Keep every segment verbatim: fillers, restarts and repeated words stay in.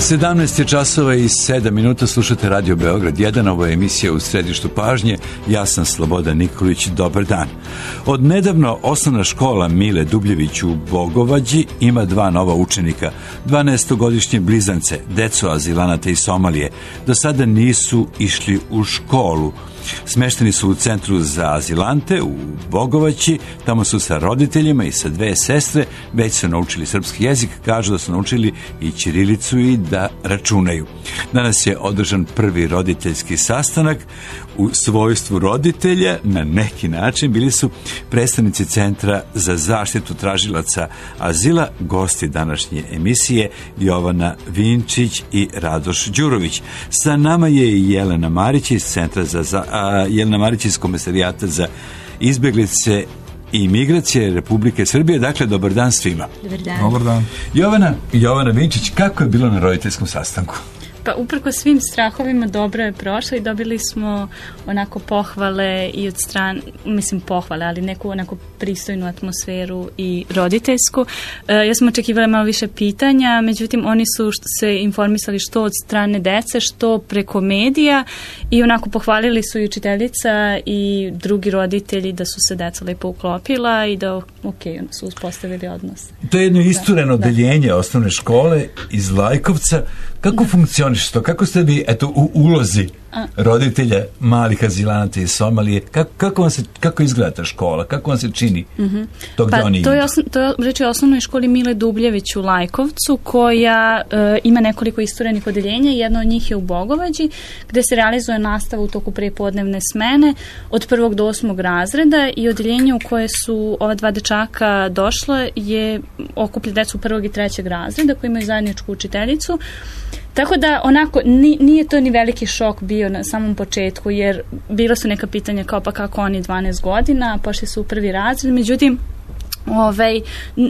sedamnaest je časova i sedam minuta, slušate Radio Beograd jedan, ovo je emisija U središtu pažnje, ja sam Slobodan Nikolić, dobar dan. Od nedavno osnovna škola Mile Dubljević u Bogovađi ima dva nova učenika, dvanaestogodišnje blizance, deco azilanata iz Somalije, do sada nisu išli u školu. Smešteni su u centru za azilante u Bogovaći, tamo su sa roditeljima i sa dve sestre, već su naučili srpski jezik, kažu da su naučili i ćirilicu i da računaju. Danas je održan prvi roditeljski sastanak. U svojstvu roditelja na neki način bili su predstavnici Centra za zaštitu tražilaca azila, gosti današnje emisije Jovana Vinčić i Radoš Đurović. Sa nama je i Jelena Marić iz Centra za, za a, Jelena Marić iz Komesarijata za izbeglice i migracije Republike Srbije. Dakle, dobar dan svima. Dobar dan. Dobar dan. Jovana, Jovana Vinčić, kako je bilo na roditeljskom sastanku? Pa uprko svim strahovima dobro je prošlo i dobili smo onako pohvale i od strane, mislim pohvale, ali neku onako pristojnu atmosferu i roditeljsku. E, ja sam očekivala malo više pitanja, međutim oni su se informisali što od strane dece, što preko medija i onako pohvalili su i učiteljica i drugi roditelji da su se deca lepo uklopila i da ok, su uspostavili odnos. To je jedno istureno da, odeljenje da. osnovne škole iz Lajkovca. Kako da. funkcioniš to? Kako ste vi, eto, u ulozi A. roditelja malih azilanata iz Somalije? Kako, kako, vam se, kako izgleda ta škola? Kako vam se čini mm-hmm. to gde pa, oni to idu? je, osno, to je reći o osnovnoj školi Mile Dubljević u Lajkovcu, koja e, ima nekoliko isturenih odeljenja. Jedno od njih je u Bogovađi, gde se realizuje nastava u toku prepodnevne smene od prvog do osmog razreda i odeljenje u koje su ova dva dečaka došla je okuplja decu prvog i trećeg razreda koji imaju zajedničku učiteljicu. Tako da onako nije to ni veliki šok bio na samom početku, jer bilo su neka pitanja kao pa kako oni dvanaest godina, pošli su u prvi razred, međutim Ovaj,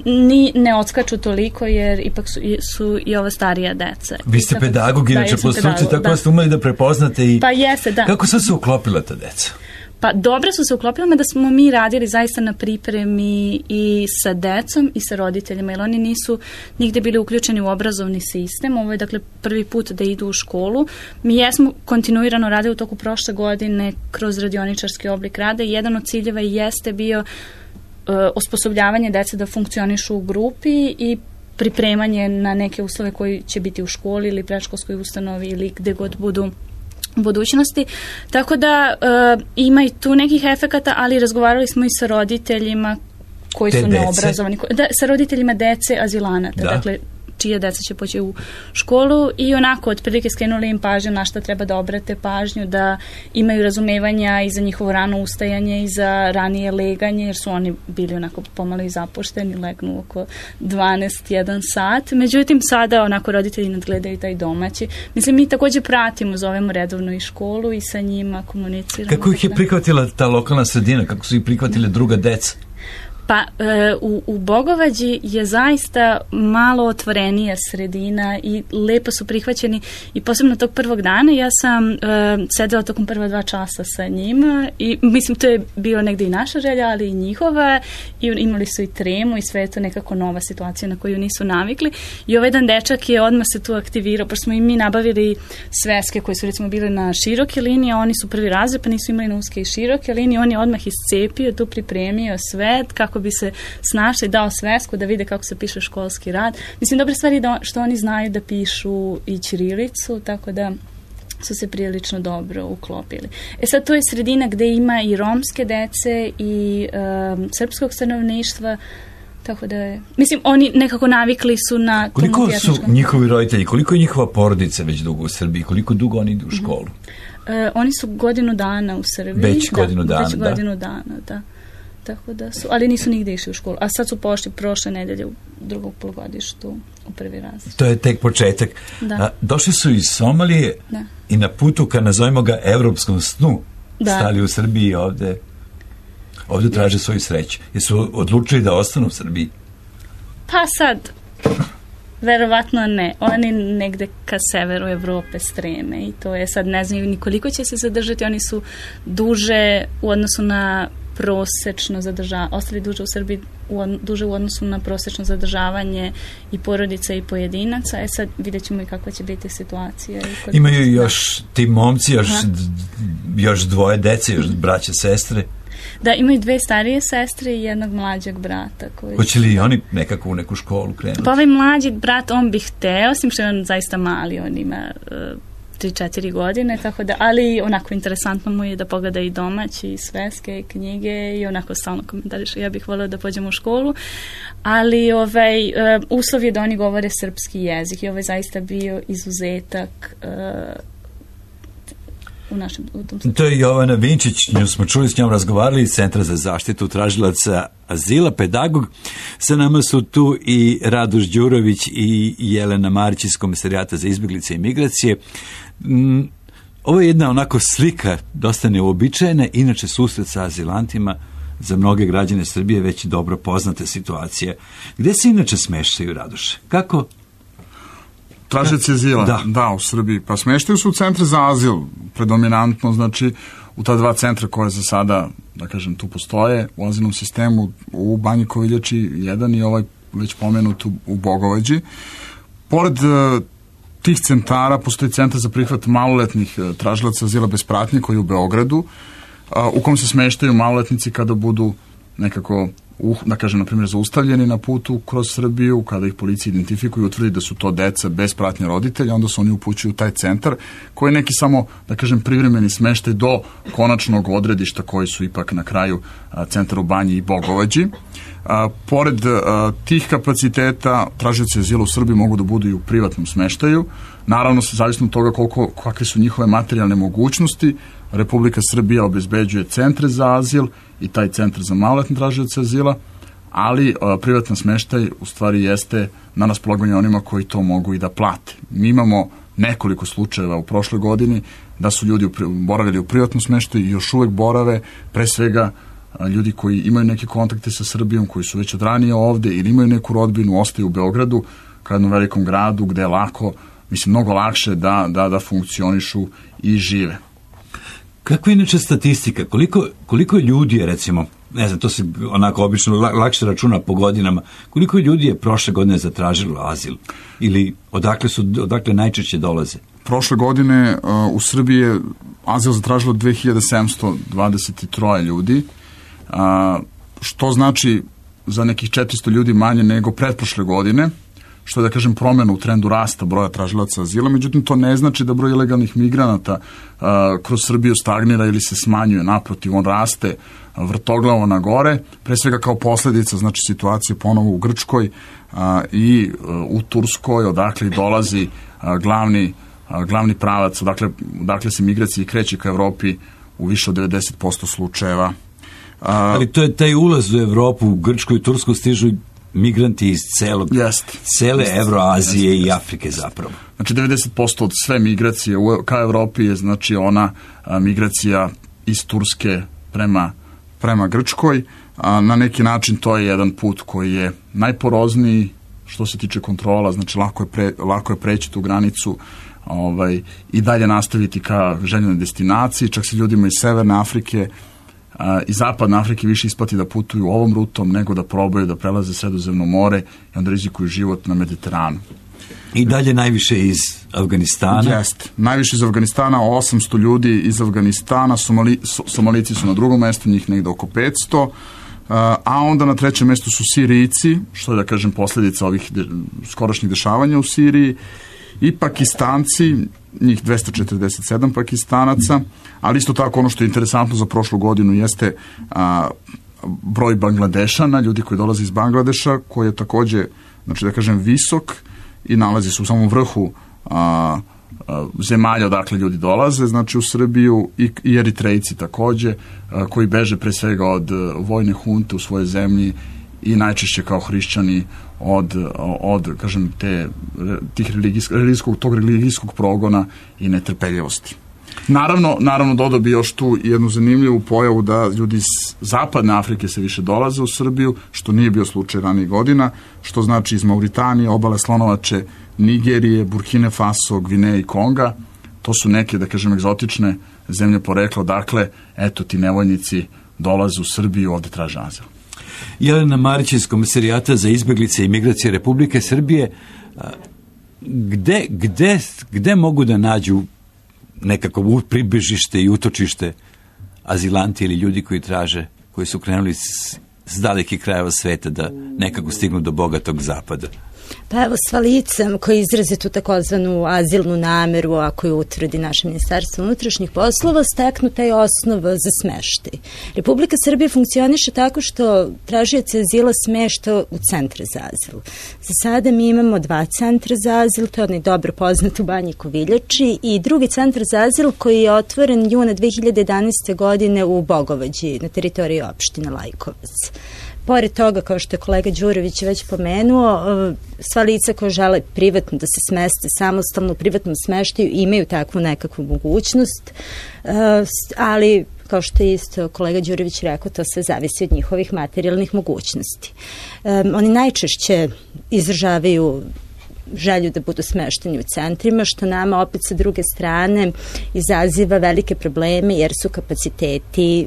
ni, ne odskaču toliko jer ipak su, su i ova starija deca. Vi ste tako, pedagog, inače da, po struci, tako da ste umeli da prepoznate i pa jeste, da. Kako su se uklopila ta deca? Pa dobro su se uklopili, da smo mi radili zaista na pripremi i sa decom i sa roditeljima, jer oni nisu nigde bili uključeni u obrazovni sistem. Ovo je dakle prvi put da idu u školu. Mi jesmo kontinuirano radili u toku prošle godine kroz radioničarski oblik rada i jedan od ciljeva jeste bio uh, osposobljavanje dece da funkcionišu u grupi i pripremanje na neke uslove koji će biti u školi ili predškolskoj ustanovi ili gde god budu u budućnosti. Tako da uh, ima i tu nekih efekata, ali razgovarali smo i sa roditeljima koji Te su dece? neobrazovani. Da, sa roditeljima dece azilanata. Da. Dakle, čija deca će poći u školu i onako otprilike skrenuli im pažnju na šta treba da obrate pažnju, da imaju razumevanja i za njihovo rano ustajanje i za ranije leganje, jer su oni bili onako pomalo i zapušteni, legnu oko dvanaest jedan sat. Međutim, sada onako roditelji nadgledaju taj domaći. Mislim, mi također pratimo, zovemo redovno i školu i sa njima komuniciramo. Kako ih je prihvatila ta lokalna sredina? Kako su ih prihvatile druga deca? Pa e, u, u Bogovađi je zaista malo otvorenija sredina i lepo su prihvaćeni i posebno tog prvog dana ja sam e, sedela tokom prva dva časa sa njima i mislim to je bio negde i naša želja, ali i njihova i imali su i tremu i sve je to nekako nova situacija na koju nisu navikli i ovaj jedan dečak je odmah se tu aktivirao, pošto smo i mi nabavili sveske koje su recimo bile na široke linije, oni su prvi razred pa nisu imali na uske i široke linije, on je odmah iscepio, tu pripremio sve kako bi se snašli, dao svesku da vide kako se piše školski rad. Mislim, dobra stvar je da, što oni znaju da pišu i ćirilicu, tako da su se prilično dobro uklopili. E sad, to je sredina gde ima i romske dece i um, srpskog stanovništva, tako da je... Mislim, oni nekako navikli su na... Koliko su njihovi roditelji, koliko je njihova porodica već dugo u Srbiji, koliko dugo oni idu u školu? Mm-hmm. Uh, oni su godinu dana u Srbiji. Već da, godinu dana, već da. godinu dana, da. Tako da su, ali nisu nigde išli u školu. A sad su pošli prošle nedelje u drugog polugodištu u prvi razred. To je tek početak. Da. A, došli su iz Somalije da. i na putu ka, nazovimo ga, evropskom snu, da. stali u Srbiji i ovde, ovde traže svoju sreću. Jesu odlučili da ostanu u Srbiji? Pa sad, verovatno ne. Oni negde ka severu Evrope streme i to je sad, ne znam ni koliko će se zadržati. Oni su duže u odnosu na prosečno zadržavanje, ostali duže u Srbiji u, duže u odnosu na prosečno zadržavanje i porodica i pojedinaca. E sad vidjet ćemo i kakva će biti situacija. Imaju još ti momci, još, još dvoje dece, još braća, sestre? Da, imaju dve starije sestre i jednog mlađeg brata. Koji Hoće li oni nekako u neku školu krenuti? Pa ovaj mlađi brat, on bi hteo, osim što je on zaista mali, on ima uh, tri četiri godine, tako da, ali onako interesantno mu je da pogleda i domaći, i sveske, i knjige i onako stalno komentariše, ja bih voljela da pođem u školu, ali ovaj, uh, uslov je da oni govore srpski jezik i ovo je zaista bio izuzetak uh, u našem, u tom to je Jovana Vinčić, nju smo čuli, s njom razgovarali iz Centra za zaštitu tražilaca azila, pedagog. Sa nama su tu i Radoš Đurović i Jelena Marić iz Komisarijata za izbjeglice i migracije. Mm, ovo je jedna onako slika, dosta neuobičajena, inače susret sa azilantima za mnoge građane Srbije već dobro poznate situacije. Gde se inače smeštaju, Radoše? Kako? Tražioci azila, da. da, u Srbiji. Pa smeštaju su u centre za azil, predominantno, znači, u ta dva centra koje za sada, da kažem, tu postoje, u azilnom sistemu, u Banji Koviljači jedan i ovaj već pomenut u, u Bogovađi. Pored uh, tih centara postoji centar za prihvat maloletnih uh, tražilaca azila bez pratnje koji je u Beogradu, uh, u kom se smeštaju maloletnici kada budu nekako Uh, da kažem, na primjer, zaustavljeni na putu kroz Srbiju, kada ih policija identifikuje i utvrdi da su to deca bez pratnje roditelja, onda se oni upućuju u taj centar, koji je neki samo, da kažem, privremeni smeštaj do konačnog odredišta koji su ipak na kraju a, centar u Banji i Bogovađi. A, pored a, tih kapaciteta, tražioci azila u Srbiji mogu da budu i u privatnom smeštaju. Naravno, zavisno od toga koliko, kakve su njihove materijalne mogućnosti, Republika Srbija obezbeđuje centre za azil i taj centar za maloletne tražioce azila, ali a, privatan smeštaj u stvari jeste na raspolaganju onima koji to mogu i da plate. Mi imamo nekoliko slučajeva u prošloj godini da su ljudi boravili u privatnom smeštaju i još uvek borave, pre svega a, ljudi koji imaju neke kontakte sa Srbijom, koji su već od ranije ovde ili imaju neku rodbinu, ostaju u Beogradu, kao jednom velikom gradu gde je lako, mislim, mnogo lakše da, da, da funkcionišu i žive. Kako je inače statistika? Koliko, koliko ljudi je, recimo, ne znam, to se onako obično lakše računa po godinama, koliko ljudi je prošle godine zatražilo azil? Ili odakle, su, odakle najčešće dolaze? Prošle godine uh, u Srbiji je azil zatražilo dve hiljade sedamsto dvadeset tri ljudi, uh, što znači za nekih četiristo ljudi manje nego pretprošle godine, što je, da kažem, promjena u trendu rasta broja tražilaca azila, međutim to ne znači da broj ilegalnih migranata a, kroz Srbiju stagnira ili se smanjuje, naprotiv, on raste vrtoglavo na gore, pre svega kao posljedica, znači, situacije ponovo u Grčkoj a, i a, u Turskoj, odakle dolazi a, glavni, a, glavni pravac, odakle, odakle se migracije kreće ka Evropi u više od devedeset posto slučajeva. A, Ali to je taj ulaz u Evropu, u Grčkoj i Tursku stižu migranti iz celog, jest, cele jest, Evroazije jest, i jest, Afrike jest. zapravo. Znači devedeset posto od sve migracije u, ka Evropi je, znači, ona a, migracija iz Turske prema, prema Grčkoj. A, na neki način to je jedan put koji je najporozniji što se tiče kontrola, znači lako je, pre, lako je preći tu granicu, ovaj, i dalje nastaviti ka željenoj destinaciji, čak se ljudima iz Severne Afrike a, i Zapadne Afrike više isplati da putuju ovom rutom nego da probaju da prelaze Sredozemno more i onda rizikuju život na Mediteranu. I dalje najviše iz Afganistana? Jeste. Najviše iz Afganistana, osamsto ljudi iz Afganistana, Somali, Somalici su na drugom mestu, njih negde oko petsto, a onda na trećem mestu su Sirijci, što je, da kažem, posljedica ovih de, skorašnjih dešavanja u Siriji, i Pakistanci, njih dvesta četrdeset sedam Pakistanaca, ali isto tako ono što je interesantno za prošlu godinu jeste a, broj Bangladešana, ljudi koji dolaze iz Bangladeša, koji je takođe, znači, da kažem, visok i nalazi se u samom vrhu a, a, zemalja odakle ljudi dolaze, znači u Srbiju, i, i Eritrejci takođe, a, koji beže pre svega od a, vojne hunte u svojoj zemlji i najčešće kao hrišćani od, od kažem, te, tih religijskog, tog religijskog progona i netrpeljivosti. Naravno, naravno dodao bi još tu jednu zanimljivu pojavu da ljudi iz Zapadne Afrike se više dolaze u Srbiju, što nije bio slučaj ranijih godina, što znači iz Mauritanije, obale Slonovače, Nigerije, Burkine Faso, Gvineje i Konga. To su neke, da kažem, egzotične zemlje porekla, dakle, eto ti nevoljnici dolaze u Srbiju, ovde traže azil. Jelena Marić iz Komesarijata za izbeglice i migracije Republike Srbije, gde, gde, gde mogu da nađu nekako pribežište i utočište azilanti ili ljudi koji traže, koji su krenuli s, s dalekih krajeva sveta da nekako stignu do bogatog zapada? Pa evo, sva lica koji izraze tu takozvanu azilnu nameru, a koju utvrdi naše ministarstvo unutrašnjih poslova, steknu taj osnov za smeštaj. Republika Srbije funkcioniše tako što tražioce azila smešta u centre za azil. Za sada mi imamo dva centra za azil, to je onaj dobro poznat u Banji Koviljači, i drugi centar za azil koji je otvoren juna dve hiljade jedanaeste. godine u Bogovađi na teritoriji opštine Lajkovac. Pored toga, kao što je kolega Đurović već pomenuo, sva lica koja žele privatno da se smeste samostalno u privatnom smeštaju imaju takvu nekakvu mogućnost, ali kao što je isto kolega Đurović rekao, to sve zavisi od njihovih materijalnih mogućnosti. Oni najčešće izražavaju želju da budu smešteni u centrima, što nama opet sa druge strane izaziva velike probleme jer su kapaciteti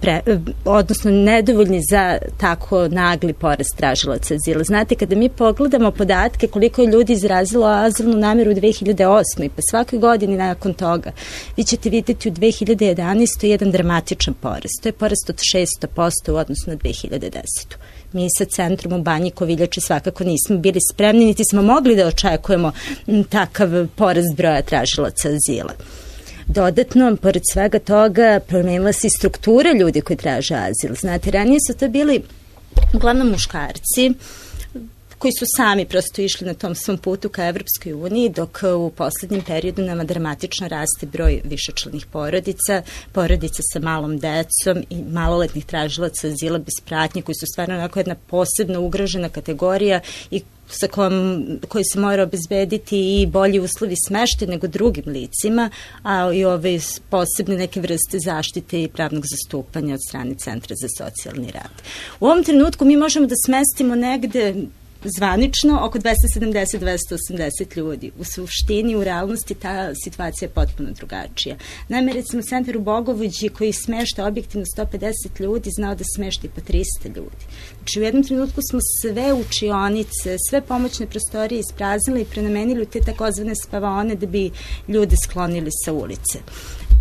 Pre, odnosno nedovoljni za tako nagli porast tražilaca azila. Znate, kada mi pogledamo podatke koliko je ljudi izrazilo azilnu nameru u dve hiljade osmoj. pa svake godine nakon toga, vi ćete vidjeti u dve hiljade jedanaestoj. jedan dramatičan porast. To je porast od šest posto u odnosu na dve hiljade desetu. Mi sa centrom u Banji Koviljači svakako nismo bili spremni, niti smo mogli da očekujemo takav porast broja tražilaca azila. Dodatno, pored svega toga, promenila se i struktura ljudi koji traže azil. Znate, ranije su to bili uglavnom muškarci koji su sami prosto išli na tom svom putu ka Evropskoj uniji, dok u poslednjem periodu nama dramatično raste broj višečlanih porodica, porodica sa malom decom i maloletnih tražilaca azila bez pratnje, koji su stvarno onako jedna posebno ugrožena kategorija i sa kojom, koji se mora obezbediti i bolji uslovi smeštaja nego drugim licima, a i ove posebne neke vrste zaštite i pravnog zastupanja od strane Centra za socijalni rad. U ovom trenutku mi možemo da smestimo negde zvanično oko dvesta sedamdeset do dvesta osamdeset ljudi. U suštini, u realnosti ta situacija je potpuno drugačija. Naime, recimo, centar u Bogovođi koji smešta objektivno sto pedeset ljudi znao da smešta i po trista ljudi. Znači, u jednom trenutku smo sve učionice, sve pomoćne prostorije ispraznili i prenamenili u te takozvane spavaone da bi ljude sklonili sa ulice.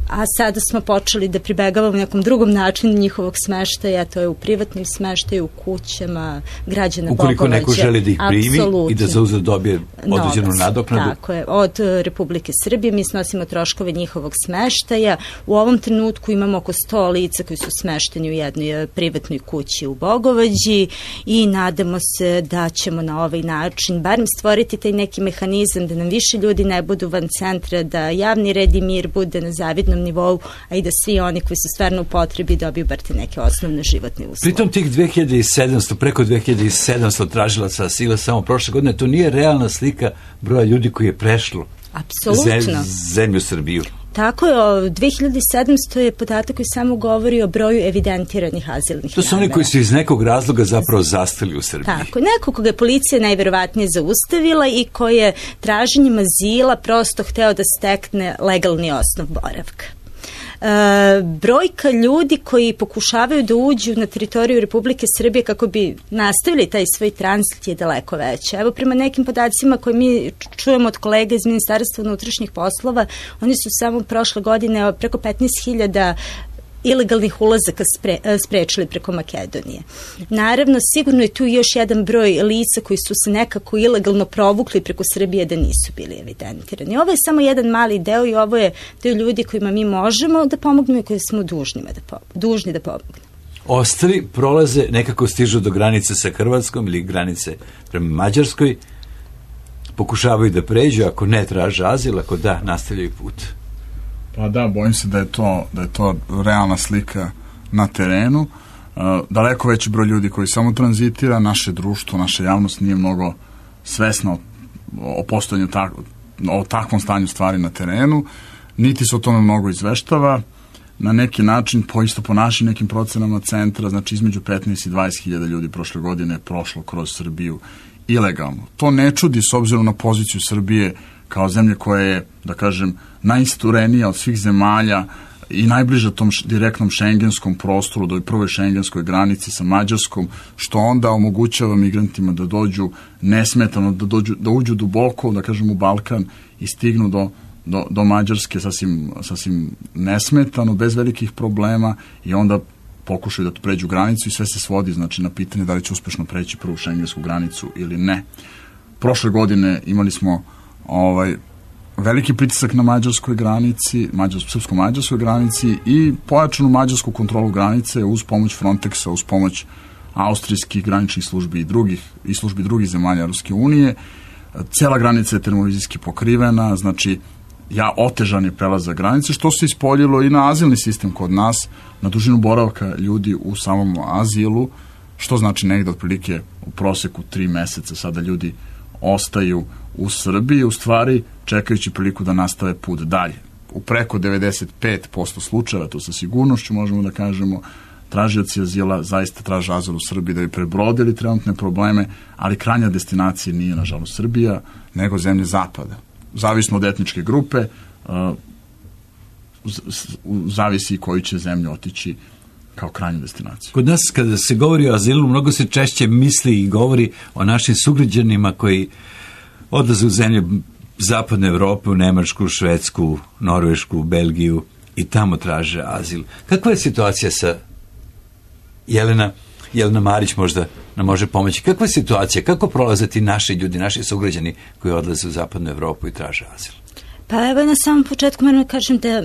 A sada smo počeli da pribegavamo nekom drugom načinu njihovog smeštaja, to je u privatnim smeštaju, u kućama građana Bogovađa. Ukoliko neko želi da ih primi i da za uzvrat dobije određenu nadoknadu. Tako je, od Republike Srbije mi snosimo troškove njihovog smeštaja. U ovom trenutku imamo oko sto lica koji su smešteni u jednoj privatnoj kući u Bogovađi i nadamo se da ćemo na ovaj način barem stvoriti taj neki mehanizam da nam više ljudi ne budu van centra, da javni red i mir bude na zavidnom nivou, a i da svi oni koji su stvarno u potrebi dobiju bar te neke osnovne životne uslove. Pritom tih dve hiljade sedamsto, preko dve hiljade sedamsto tražilaca azila samo prošle godine, to nije realna slika broja ljudi koji je prešlo Apsolutno. zemlju Srbiju. Tako je, dve hiljade sedamsto je podatak koji samo govori o broju evidentiranih azilnih To su namera. Oni koji su iz nekog razloga zapravo zastali u Srbiji. Tako, neko koga je policija najverovatnije zaustavila i koji je traženjem azila prosto hteo da stekne legalni osnov boravka. E, brojka ljudi koji pokušavaju da uđu na teritoriju Republike Srbije kako bi nastavili taj svoj tranzit je daleko veća. Evo, prema nekim podacima koje mi čujemo od kolega iz Ministarstva unutrašnjih poslova, oni su samo prošle godine preko petnaest hiljada ilegalnih ulazaka spre, sprečili preko Makedonije. Naravno, sigurno je tu još jedan broj lica koji su se nekako ilegalno provukli preko Srbije da nisu bili evidentirani. Ovo je samo jedan mali deo i ovo je deo ljudi kojima mi možemo da pomognemo i koji smo dužnima da pom- dužni da pomognemo. Ostali prolaze, nekako stižu do granice sa Hrvatskom ili granice prema Mađarskoj, pokušavaju da pređu, ako ne traže azil, ako da, nastavljaju put. Pa da, bojim se da je to, da je to realna slika na terenu. Uh, daleko veći broj ljudi koji samo tranzitira, naše društvo, naša javnost nije mnogo svesna o, o postojanju tak, o takvom stanju stvari na terenu, niti se o tome mnogo izveštava. Na neki način, po isto po našim nekim procenama centra, znači između petnaest i dvadeset hiljada ljudi prošle godine je prošlo kroz Srbiju ilegalno. To ne čudi s obzirom na poziciju Srbije kao zemlje koja je, da kažem, najisturenija od svih zemalja i najbliža tom direktnom šengenskom prostoru, do prvoj šengenskoj granici sa Mađarskom, što onda omogućava migrantima da dođu nesmetano, da, dođu, da uđu duboko, da kažem, u Balkan i stignu do, do, do Mađarske sasvim, sasvim nesmetano, bez velikih problema, i onda pokušaju da pređu granicu i sve se svodi, znači, na pitanje da li će uspešno preći prvu šengensku granicu ili ne. Prošle godine imali smo ovaj, veliki pritisak na mađarskoj granici, mađarsko, srpsko-mađarskoj granici i pojačanu mađarsku kontrolu granice uz pomoć Frontexa, uz pomoć austrijskih graničnih službi i drugih, i službi drugih zemalja Ruske unije. Cela granica je termovizijski pokrivena, znači ja otežan je prelazak granice, što se ispoljilo i na azilni sistem kod nas, na dužinu boravka ljudi u samom azilu, što znači negde otprilike u proseku tri meseca sada ljudi ostaju u Srbiji, u stvari čekajući priliku da nastave put dalje. U preko devedeset pet posto slučajeva, to sa sigurnošću možemo da kažemo, tražioci azila zaista traže azil u Srbiji da bi prebrodili trenutne probleme, ali krajnja destinacija nije, nažalost, Srbija, nego zemlje zapada. Zavisno od etničke grupe, zavisi i koju će zemlju otići kao krajnju destinaciju. Kod nas, kada se govori o azilu, mnogo se češće misli i govori o našim sugrađanima koji odlaze u zemlje zapadne Evrope, u Nemačku, Švedsku, Norvešku, Belgiju i tamo traže azil. Kakva je situacija sa Jelena? Jelena Marić možda nam može pomoći. Kakva je situacija? Kako prolaze ti naši ljudi, naši sugrađani koji odlaze u zapadnu Evropu i traže azil? Pa evo, na samom početku moram da kažem da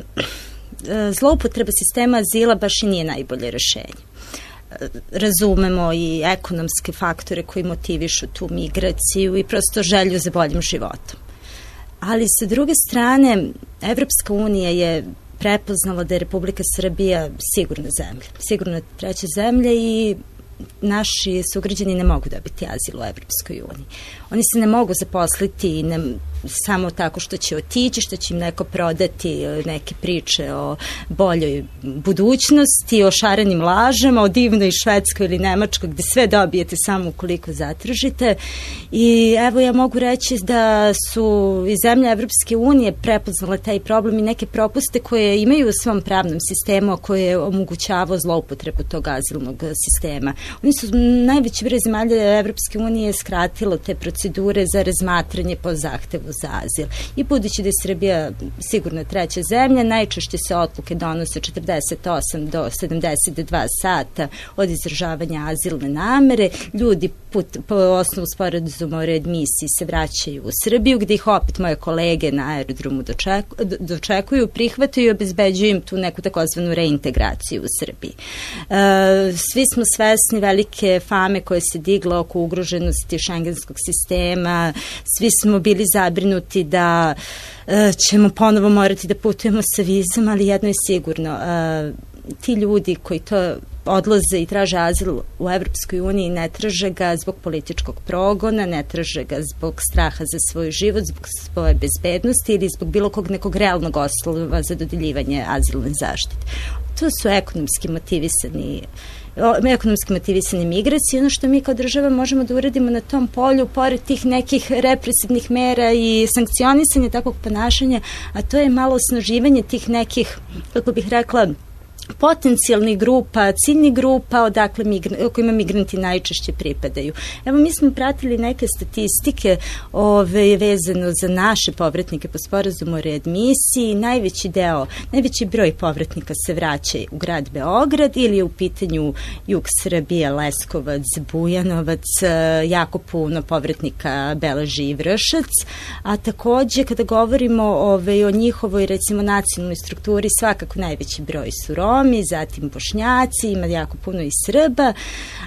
zloupotreba sistema azila baš i nije najbolje rešenje. Razumemo i ekonomske faktore koji motivišu tu migraciju i prosto želju za boljim životom. Ali sa druge strane, Evropska unija je prepoznala da je Republika Srbija sigurna zemlja, sigurna treća zemlja i naši sugrađani ne mogu dobiti azil u Evropskoj uniji. Oni se ne mogu zaposliti ne, samo tako što će otići, što će im neko prodati neke priče o boljoj budućnosti, o šarenim lažama, o divnoj Švedskoj ili Nemačkoj, gde sve dobijete samo ukoliko zatražite. I evo, ja mogu reći da su i zemlje Evropske unije prepoznale taj problem i neke propuste koje imaju u svom pravnom sistemu, koje je omogućavao zloupotrebu tog azilnog sistema. Oni su najveći broj zemalja Evropske unije skratilo te procedure za razmatranje po zahtevu za azil. I budući da je Srbija sigurno treća zemlja, najčešće se odluke donose četrdeset osam do sedamdeset dva sata od izražavanja azilne namere. Ljudi put, po osnovu sporazuma o readmisiji se vraćaju u Srbiju, gde ih opet moje kolege na aerodromu dočeku, dočekuju, prihvataju i obezbeđuju im tu neku takozvanu reintegraciju u Srbiji. E, svi smo svesni velike fame koje se digla oko ugroženosti šengenskog sistema, svi smo bili zabrinuti da e, ćemo ponovo morati da putujemo sa vizom, ali jedno je sigurno, e, ti ljudi koji to odlaze i traže azil u Evropskoj uniji ne traže ga zbog političkog progona, ne traže ga zbog straha za svoj život, zbog svoje bezbednosti ili zbog bilo kog nekog realnog oslova za dodeljivanje azilne zaštite. To su ekonomski motivisani ekonomski motivisane migracije. Ono što mi kao država možemo da uradimo na tom polju, pored tih nekih represivnih mera i sankcionisanja takvog ponašanja, a to je malo osnaživanje tih nekih, kako bih rekla, potencijalnih grupa, ciljnih grupa odakle migra, kojima migranti najčešće pripadaju. Evo, mi smo pratili neke statistike ove, vezano za naše povratnike po sporazumu o readmisiji. Najveći deo, najveći broj povratnika se vraća u grad Beograd ili je u pitanju jug Srbije, Leskovac, Bujanovac, jako puno povratnika beleži i Vršac, a takođe kada govorimo ove, o njihovoj, recimo, nacionalnoj strukturi, svakako najveći broj su Romi, zatim Bošnjaci, ima jako puno i Srba,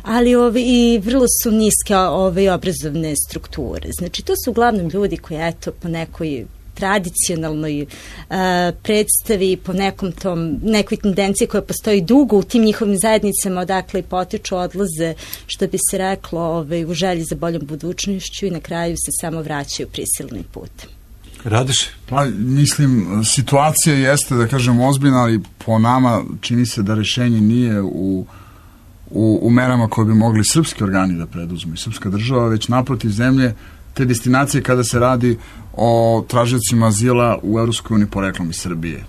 ali ove, i vrlo su niske ove, obrazovne strukture. Znači, to su uglavnom ljudi koji, eto, po nekoj tradicionalnoj uh, predstavi, po nekom tom, nekoj tendenciji koja postoji dugo u tim njihovim zajednicama odakle i potiču, odlaze, što bi se reklo, ove, u želji za boljom budućnošću i na kraju se samo vraćaju prisilnim putem. Radiš? Pa, mislim, situacija jeste, da kažem, ozbiljna, ali po nama čini se da rešenje nije u, u, u merama koje bi mogli srpski organi da preduzmu i srpska država, već naprotiv zemlje, te destinacije kada se radi o tražiocima azila u Evropskoj uniji poreklom iz Srbije.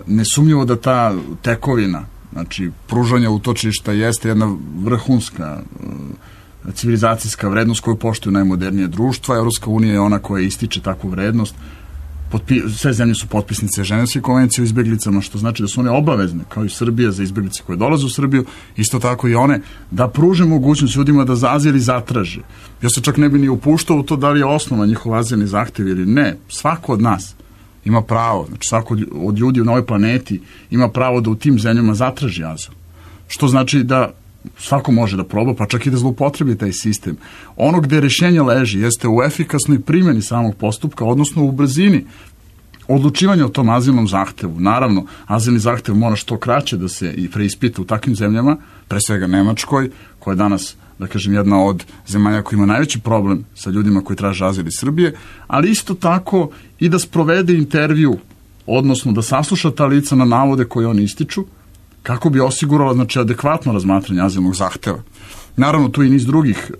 Nesumnjivo da ta tekovina, znači pružanja utočišta jeste jedna vrhunska civilizacijska vrednost koju poštuju najmodernije društva. Evropska unija je ona koja ističe takvu vrednost. Potpi, sve zemlje su potpisnice Ženevske konvencije o izbeglicama, što znači da su one obavezne, kao i Srbija, za izbeglice koje dolaze u Srbiju, isto tako i one, da pruže mogućnost ljudima da za azil i zatraže. Ja se čak ne bi ni upuštao u to da li je osnova njihov azilni zahtev ili ne. Svako od nas ima pravo, znači svako od ljudi na ovoj planeti ima pravo da u tim zemljama zatraži azil. Što znači da svako može da proba, pa čak i da zloupotrebi taj sistem. Ono gde rešenje leži jeste u efikasnoj primjeni samog postupka, odnosno u brzini odlučivanja o tom azilnom zahtevu. Naravno, azilni zahtev mora što kraće da se i preispita u takvim zemljama, pre svega Nemačkoj, koja je danas, da kažem, jedna od zemalja koja ima najveći problem sa ljudima koji traže azil iz Srbije, ali isto tako i da sprovede intervju, odnosno da sasluša ta lica na navode koje oni ističu, kako bi osigurala, znači, adekvatno razmatranje azilnog zahteva. Naravno, tu i niz drugih,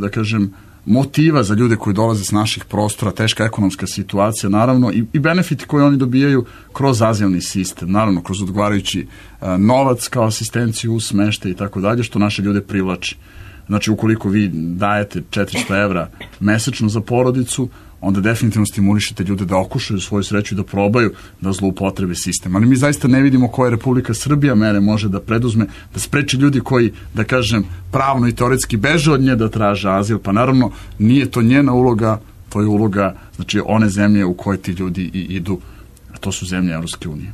da kažem, motiva za ljude koji dolaze s naših prostora, teška ekonomska situacija, naravno, i, i benefiti koje oni dobijaju kroz azilni sistem, naravno, kroz odgovarajući novac kao asistenciju u smešte i tako dalje, što naše ljude privlači. Znači, ukoliko vi dajete četiristo evra mesečno za porodicu, onda definitivno stimulišete ljude da okušaju svoju sreću i da probaju da zloupotrebe sistem. Ali mi zaista ne vidimo koje Republika Srbija mere može da preduzme, da spreči ljudi koji, da kažem, pravno i teoretski beže od nje da traže azil, pa naravno nije to njena uloga, to je uloga, znači, one zemlje u koje ti ljudi i idu, a to su zemlje Evropske unije.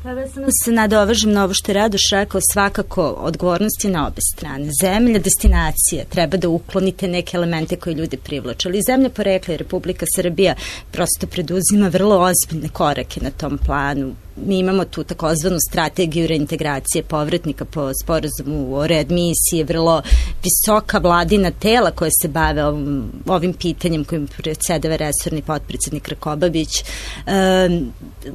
Pa vezano se nadovežem na ovo što je Radoš rekao, svakako odgovornosti na obe strane. Zemlja, destinacija, treba da uklonite neke elemente koje ljude privlače, ali zemlja porekla i Republika Srbija prosto preduzima vrlo ozbiljne korake na tom planu. Mi imamo tu takozvanu strategiju reintegracije povratnika po sporazumu o readmisiji, vrlo visoka vladina tela koje se bave ovim, ovim pitanjem kojim predsedava resorni potpredsednik Krkobabić. E,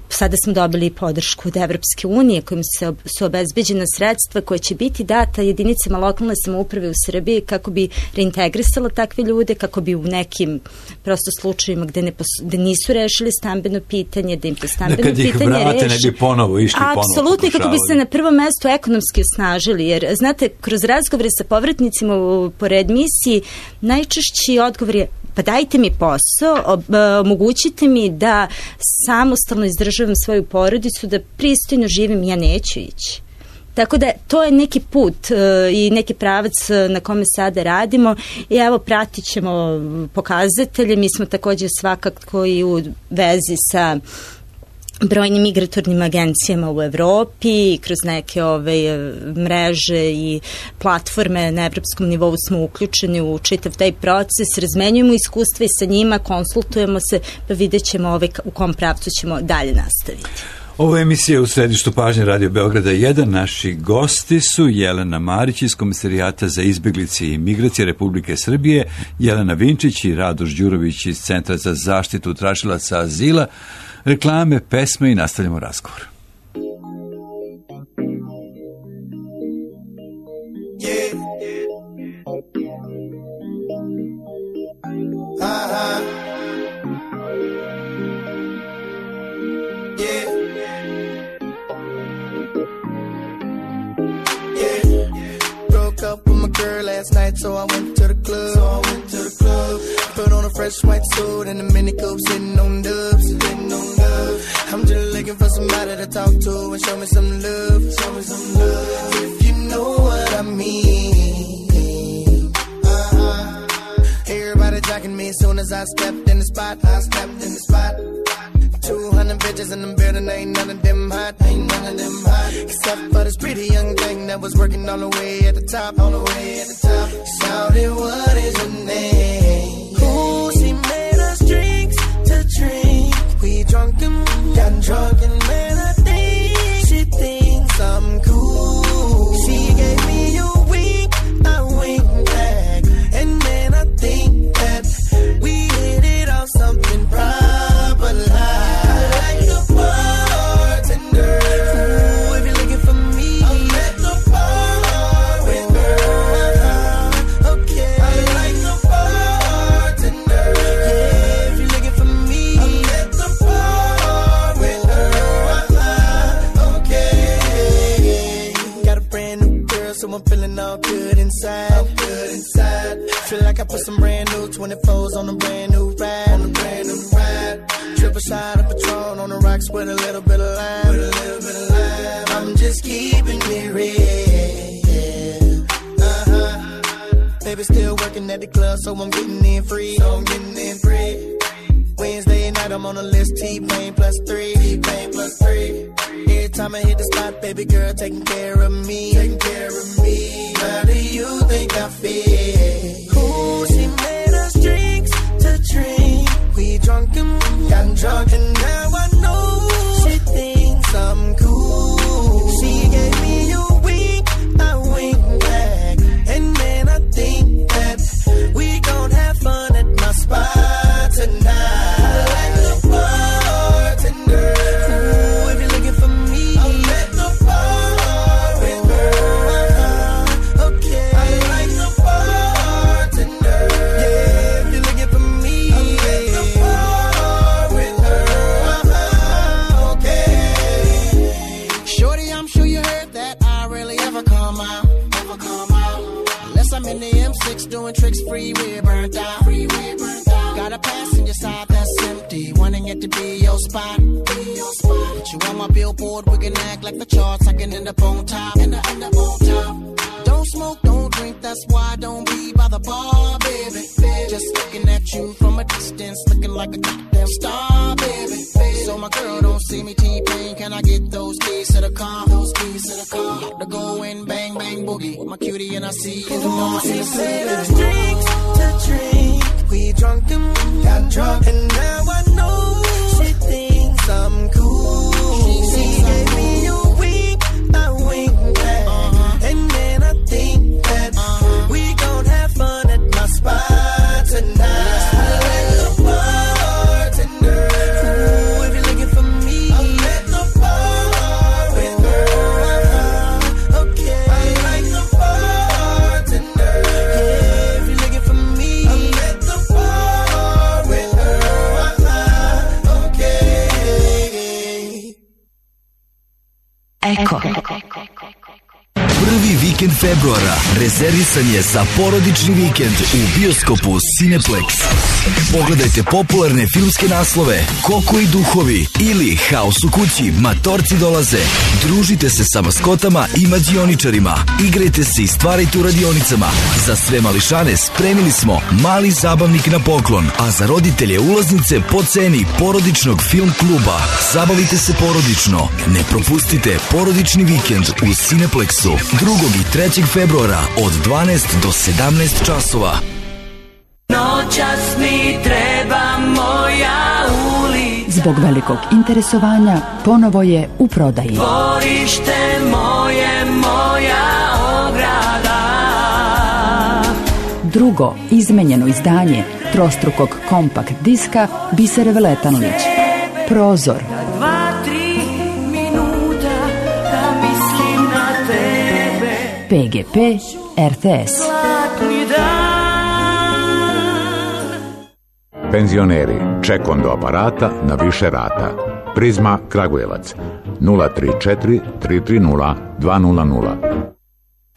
sada smo dobili podršku od Evropske unije kojim se, su obezbeđena sredstva koje će biti data jedinicama lokalne samouprave u Srbiji kako bi reintegrisala takve ljude, kako bi u nekim prosto slučajima gde, ne pos, gde nisu rešili stambeno pitanje, da im to stambeno da pitanje reši. Ne bi ponovo išli ponovo. Apsolutno, kako bi se na prvom mestu ekonomski osnažili, jer znate, kroz razgovore sa povratnicima u, po readmisiji, najčešći odgovor je: pa dajte mi posao, omogućite mi da samostalno izdržavam svoju porodicu, da pristojno živim, ja neću ići. Tako da to je neki put uh, i neki pravac na kome sada radimo i evo pratit ćemo pokazatelje. Mi smo također svakako i u vezi sa brojnim migratornim agencijama u Evropi, kroz neke ove mreže i platforme na evropskom nivou smo uključeni u čitav taj proces, razmenjujemo iskustva i sa njima, konsultujemo se, pa vidjet ćemo ove, u kom pravcu ćemo dalje nastaviti. Ovo je emisija u središtu pažnje Radio Beograda jedan. Naši gosti su Jelena Marić iz Komisarijata za izbeglice i migracije Republike Srbije, Jelena Vinčić i Radoš Đurović iz Centra za zaštitu tražilaca azila. Reklame, pesme i nastavljamo razgovor. Yeah. Uh-huh. Yeah. Yeah. Broke up with my girl last night, so I went to the club. So I went to the club. Put on a fresh white suit and a mini coupe, sitting on dubs, sitting on dubs. I'm just looking for somebody to talk to and show me some love, show me some love. If you know what I mean. Uh-huh. Everybody jacking me as soon as I stepped in the spot. I stepped in the spot. Two hundred bitches in the building, ain't none of them hot, ain't none of them hot. Except for this pretty young thing that was working all the way at the top, all the way at the top. Shouted, what is her name? Ooh, she made us drinks to drink. We drunk and got drunk and man, I think she thinks I'm cool. She gave me a wink, I winked back, and man, I think that we hit it off something proper like. all good inside. All good inside. Feel like I put some brand new twenty-fours on a brand new ride. On a brand new ride. Triple shot of Patron on the rocks with a little bit of lime. With a little bit of lime. I'm just keeping it real. Uh-huh. Baby still working at the club, so I'm getting in free. So I'm getting in free. Wednesday night, I'm on the list, T-Pain plus three. T-Pain plus three. Every time I hit the spot, baby girl taking care of me. Taking care of me. How do you think I feel? Ooh, she made us drinks to drink. We drunk and got drunk, and now I know she thinks I'm cool. She gave me a wink, I wink back, and then I think that we gon' have fun at my spot tonight. Doing tricks, freeway burnt out. Freeway burnt out. Got a passenger side that's empty, wanting it to be your spot. Be your spot. Put you on my billboard, we can act like the charts. I can end up on top. End up, end up on top. Don't smoke, don't drink, that's why I don't be by the bar, baby. Just looking at you from a distance, looking like a goddamn star, baby. So my girl don't see me T-Pain, can I get those keys to the car? Those keys to the car. About to go in, bang, bang, boogie. With my cutie and I see in the morning. She said us drinks to drink. We drunk and got drunk, and now I know she thinks I'm cool. She gave me a wink, I wink back, uh-huh. And then I think that uh-huh. we gon' have fun at my spot tonight. Eko. Prvi vikend februara rezervisan je za porodični vikend u bioskopu Cineplex. Pogledajte popularne filmske naslove Koko i duhovi ili Haos u kući, Matorci dolaze. Družite se sa maskotama i mađioničarima. Igrajte se i stvarajte u radionicama. Za sve mališane spremili smo mali zabavnik na poklon, a za roditelje ulaznice po ceni porodičnog film kluba. Zabavite se porodično. Ne propustite porodični vikend u Cineplexu drugog i trećeg februara od dvanaest do sedamnaest časova. Noćas mi treba moja ulica. Zbog velikog interesovanja ponovo je u prodaji. Dvorište moje, moja ograda. Drugo izmenjeno izdanje trostrukog kompakt diska Bisere Veletanlić. Prozor. Dva, tri minuta da mislim na tebe. P G P R T S. Zlatni dan. Penzioneri, ček do aparata na više rata. Prizma Kragujevac nula tri četiri tri tri nula dva nula nula.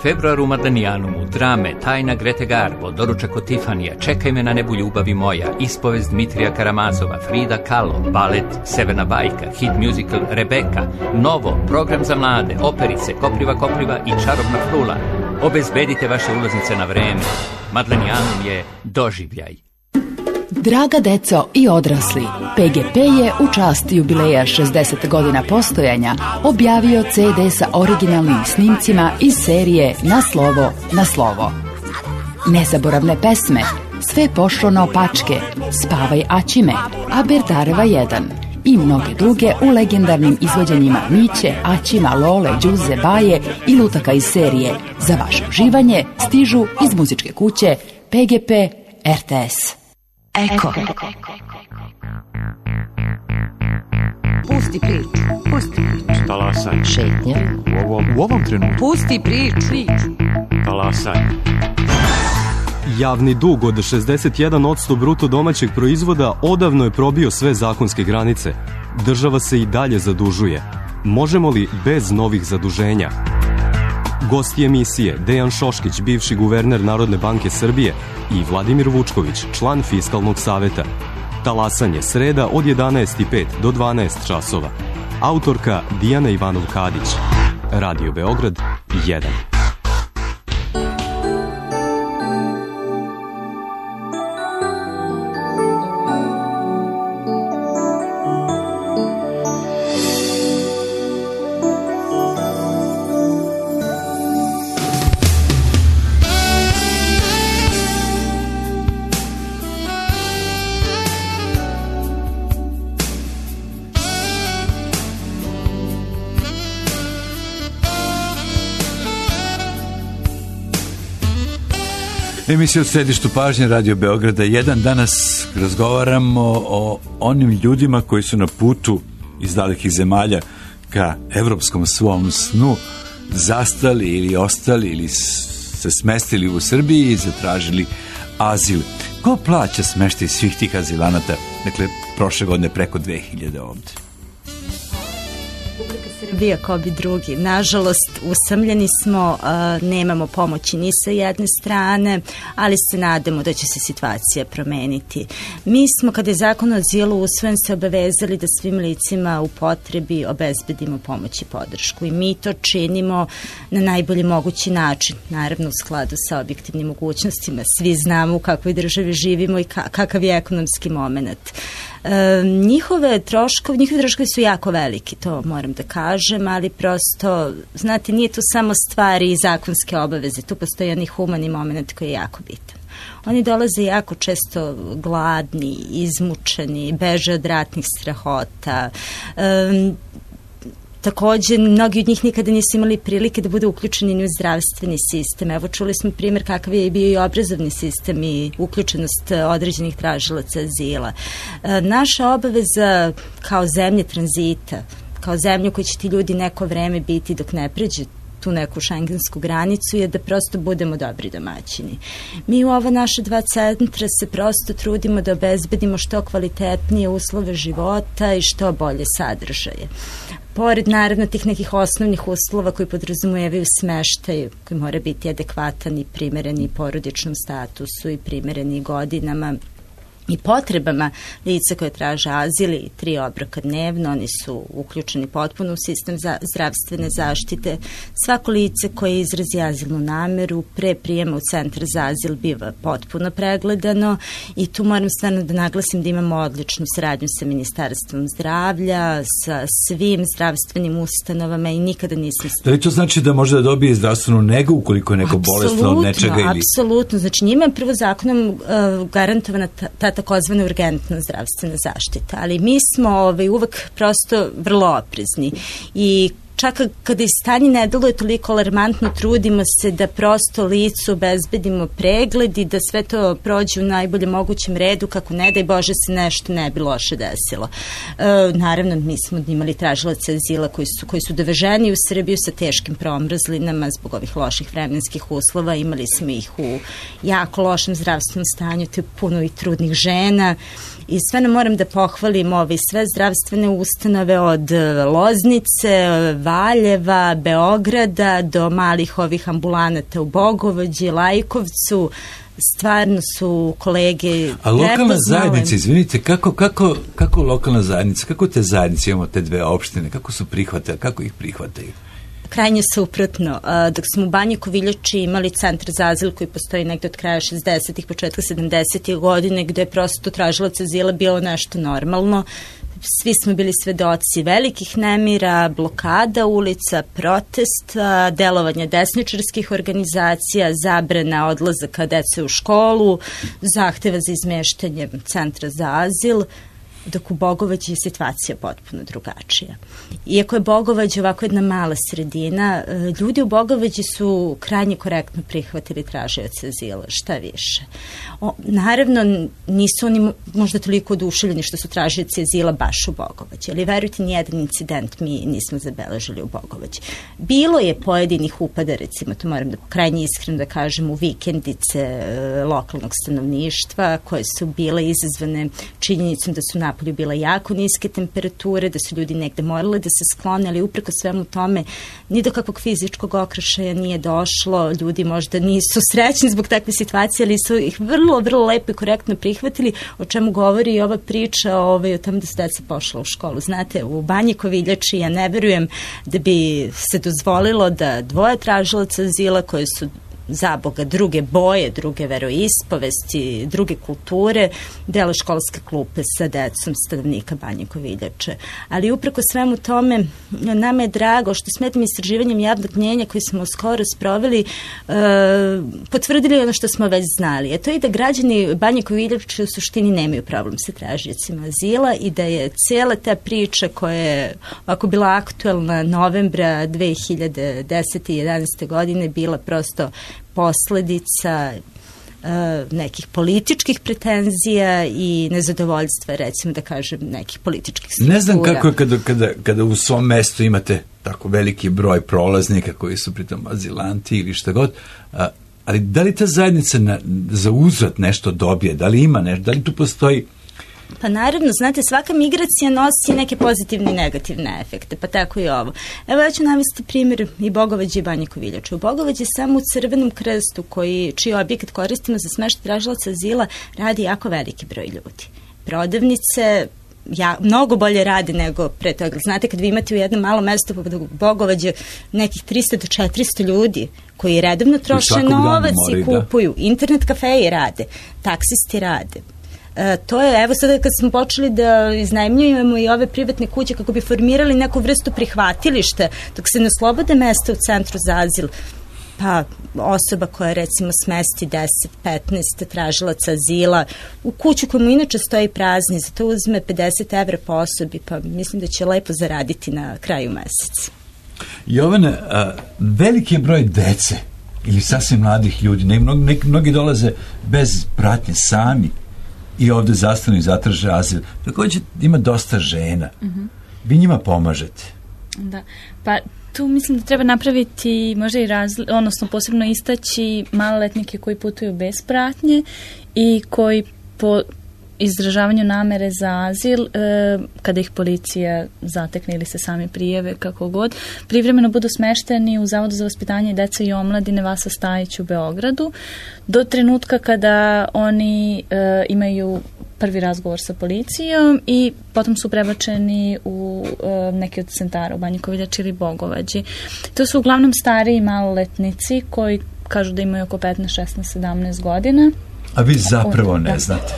Februar u Madanijanumu, drame, Tajna Grete Garbo, Doručak od Tifanija, Čekaj me na nebu ljubavi moja, Ispovest Dmitrija Karamazova, Frida Kahlo, balet Severna bajka, hit musical Rebeka, Novo, program za mlade, operice, Kopriva Kopriva i Čarobna frula. Obezbedite vaše ulaznice na vreme. Madanijanum je doživljaj. Draga deco i odrasli, P G P je u čast jubileja šezdeset godina postojanja objavio C D sa originalnim snimcima iz serije Na slovo, na slovo. Nezaboravne pesme, Sve pošlo naopačke, Spavaj Aćime, Aberdareva jedan i mnoge druge u legendarnim izvođenjima Miće, Aćima, Lole, Đuze, Baje i lutaka iz serije. Za vaše uživanje stižu iz muzičke kuće P G P R T S. Eko. Pusti priču. Pusti priču. Talasaj. Šetnja. U ovom, u ovom trenutku. Pusti priču. Priču. Talasaj. Javni dug od šezdeset jedan posto bruto domaćeg proizvoda odavno je probio sve zakonske granice. Država se i dalje zadužuje. Možemo li bez novih zaduženja? Gosti emisije Dejan Šoškić, bivši guverner Narodne banke Srbije, i Vladimir Vučković, član Fiskalnog saveta. Talasanje sreda od jedanaest i pet do dvanaest časova. Autorka Dijana Ivanov-Kadić. Radio Beograd jedan. Emisija u središtu pažnje Radio Beograda jedan. Danas razgovaramo o onim ljudima koji su na putu iz dalekih zemalja ka evropskom svom snu zastali ili ostali ili se smestili u Srbiji i zatražili azil. Ko plaća smeštaj svih tih azilanata? Dakle, prošle godine preko dve hiljade ovde. Srbija kao bi drugi. Nažalost, usamljeni smo, nemamo pomoći ni sa jedne strane, ali se nadamo da će se situacija promeniti. Mi smo, kada je zakon o azilu usvojen, se obavezali da svim licima u potrebi obezbedimo pomoć i podršku. I mi to činimo na najbolji mogući način, naravno u skladu sa objektivnim mogućnostima. Svi znamo u kakvoj državi živimo i kakav je ekonomski moment. E, njihove troškovi, njihove troškovi su jako veliki, to moram da kažem, ali prosto, znate, nije tu samo stvari i zakonske obaveze, tu postoji onaj humani moment koji je jako bitan. Oni dolaze jako često gladni, izmučeni, beže od ratnih strahota. E, Takođe, mnogi od njih nikada nisu imali prilike da budu uključeni ni u zdravstveni sistem. Evo, čuli smo primjer kakav je bio i obrazovni sistem i uključenost određenih tražilaca azila. E, naša obaveza kao zemlje tranzita, kao zemlju koji će ti ljudi neko vreme biti dok ne pređe tu neku šengensku granicu, je da prosto budemo dobri domaćini. Mi u ova naša dva centra se prosto trudimo da obezbedimo što kvalitetnije uslove života i što bolje sadržaje. Pored naravno tih nekih osnovnih uslova koji podrazumijevaju smeštaj, koji mora biti adekvatan i primereni porodičnom statusu i primereni godinama i potrebama lica koje traže azil i tri obroka dnevno, oni su uključeni potpuno u sistem za zdravstvene zaštite. Svako lice koje izrazi azilnu nameru pre prijema u centar za azil biva potpuno pregledano i tu moram stvarno da naglasim da imamo odličnu saradnju sa Ministarstvom zdravlja, sa svim zdravstvenim ustanovama i nikada nismo... Da li to znači da može da dobije zdravstvenu negu ukoliko je neko bolesno od nečega ili... Apsolutno, znači njima je prvo zakonom uh, garantovana ta, ta takozvana urgentna zdravstvena zaštita, ali mi smo ovaj, uvek prosto vrlo oprezni i čak kada i stanje ne deluje toliko alarmantno, trudimo se da prosto licu obezbedimo pregled i da sve to prođe u najboljem mogućem redu, kako ne daj Bože se nešto ne bi loše desilo. E, naravno, mi smo imali tražilaca azila koji su, koji su doveženi u Srbiju sa teškim promrzlinama zbog ovih loših vremenskih uslova, imali smo ih u jako lošem zdravstvenom stanju, to je puno i trudnih žena. I sve nam moram da pohvalim ove sve zdravstvene ustanove od Loznice, Valjeva, Beograda do malih ovih ambulanata u Bogovođi, Lajkovcu. Stvarno su kolege... A lokalna zajednica, izvinite, kako, kako, kako lokalna zajednica, kako te zajednice, imamo te dve opštine, kako su prihvatili, kako ih prihvataju? Krajnje suprotno. Dok smo u Banji Koviljači imali centar za azil koji postoji negde od kraja šezdesetih, početka sedamdesetih godine, gde je prosto tražilac azila bilo nešto normalno. Svi smo bili svedoci velikih nemira, blokada ulica, protesta, delovanja desničarskih organizacija, zabrana odlazaka dece u školu, zahteva za izmeštanje centra za azil, dok u Bogovađi je situacija potpuno drugačija. Iako je Bogovađa ovako jedna mala sredina, ljudi u Bogovađi su krajnje korektno prihvatili tražioce azila, šta više. O, naravno, nisu oni možda toliko oduševljeni što su tražioci azila baš u Bogovađi, ali verujte, nijedan incident mi nismo zabeležili u Bogovađi. Bilo je pojedinih upada, recimo, to moram da krajnje iskreno da kažem, u vikendice e, lokalnog stanovništva, koje su bile izazvane činjenicom da su napravili napolju bile jako niske temperature, da su ljudi negde morali da se sklone, ali upreko svemu tome ni do kakvog fizičkog okršaja nije došlo, ljudi možda nisu srećni zbog takve situacije, ali su ih vrlo, vrlo lepo i korektno prihvatili, o čemu govori i ova priča ovaj, o tom da su deca pošla u školu. Znate, u Banji Koviljači ja ne verujem da bi se dozvolilo da dvoje tražilaca azila koje su za Boga druge boje, druge veroispovesti, druge kulture, dele školske klupe sa decom stanovnika Banje Koviljače. Ali upreko svemu tome, nama je drago što smo tim istraživanjem javnog mnjenja koji smo skoro sproveli, e, potvrdili ono što smo već znali. A to je da građani Banje Koviljače u suštini nemaju problem sa tražiocima azila i da je cijela ta priča koja je ovako bila aktuelna novembra dve hiljade desete i jedanaeste godine bila prosto posledica uh, nekih političkih pretenzija i nezadovoljstva, recimo da kažem, nekih političkih struktura. Ne znam kako je kada, kada, kada u svom mestu imate tako veliki broj prolaznika koji su pritom azilanti ili šta god, uh, ali da li ta zajednica na, za uzvrat nešto dobije, da li ima nešto, da li tu postoji? Pa naravno, znate, svaka migracija nosi neke pozitivne i negativne efekte, pa tako i ovo. Evo ja ću navesti primjer i Bogovađe i Banje Koviljače. U Bogovađe samo u Crvenom krstu, koji, čiji objekat koristimo za smeštaj tražilaca azila, radi jako veliki broj ljudi. Prodavnice ja, mnogo bolje rade nego pre toga. Znate, kad vi imate u jednom malom mestu poput Bogovađe nekih trista do četiristo ljudi koji redovno troše novac i kupuju, da. Internet kafeji rade, taksisti rade. E, to je, evo sada kad smo počeli da iznajmljujemo i ove privatne kuće kako bi formirali neku vrstu prihvatilišta, dok se ne oslobode mesta u centru za azil, pa osoba koja recimo smesti deset petnaest tražilaca azila u kuću koja mu inače stoji prazni, za to uzme pedeset evra po osobi, pa mislim da će lepo zaraditi na kraju meseca. Jovana, a, veliki je broj dece ili sasvim mladih ljudi, ne, ne, mnogi dolaze bez pratnje sami i ovde zastanu i zatraže azil. Također ima dosta žena. Mm-hmm. Vi njima pomažete. Da, pa tu mislim da treba napraviti možda i razli, odnosno posebno istaći maloletnike koji putuju bez pratnje i koji po izražavanju namere za azil, e, kada ih policija zatekne ili se sami prijave, kako god, privremeno budu smešteni u Zavodu za vaspitanje dece i omladine Vasa Stajić u Beogradu, do trenutka kada oni e, imaju prvi razgovor sa policijom i potom su prebačeni u e, neki od centara u Banji Koviljači ili Bogovađi. To su uglavnom stariji maloletnici koji kažu da imaju oko petnaest, šesnaest, sedamnaest godina. A vi zapravo ne znate?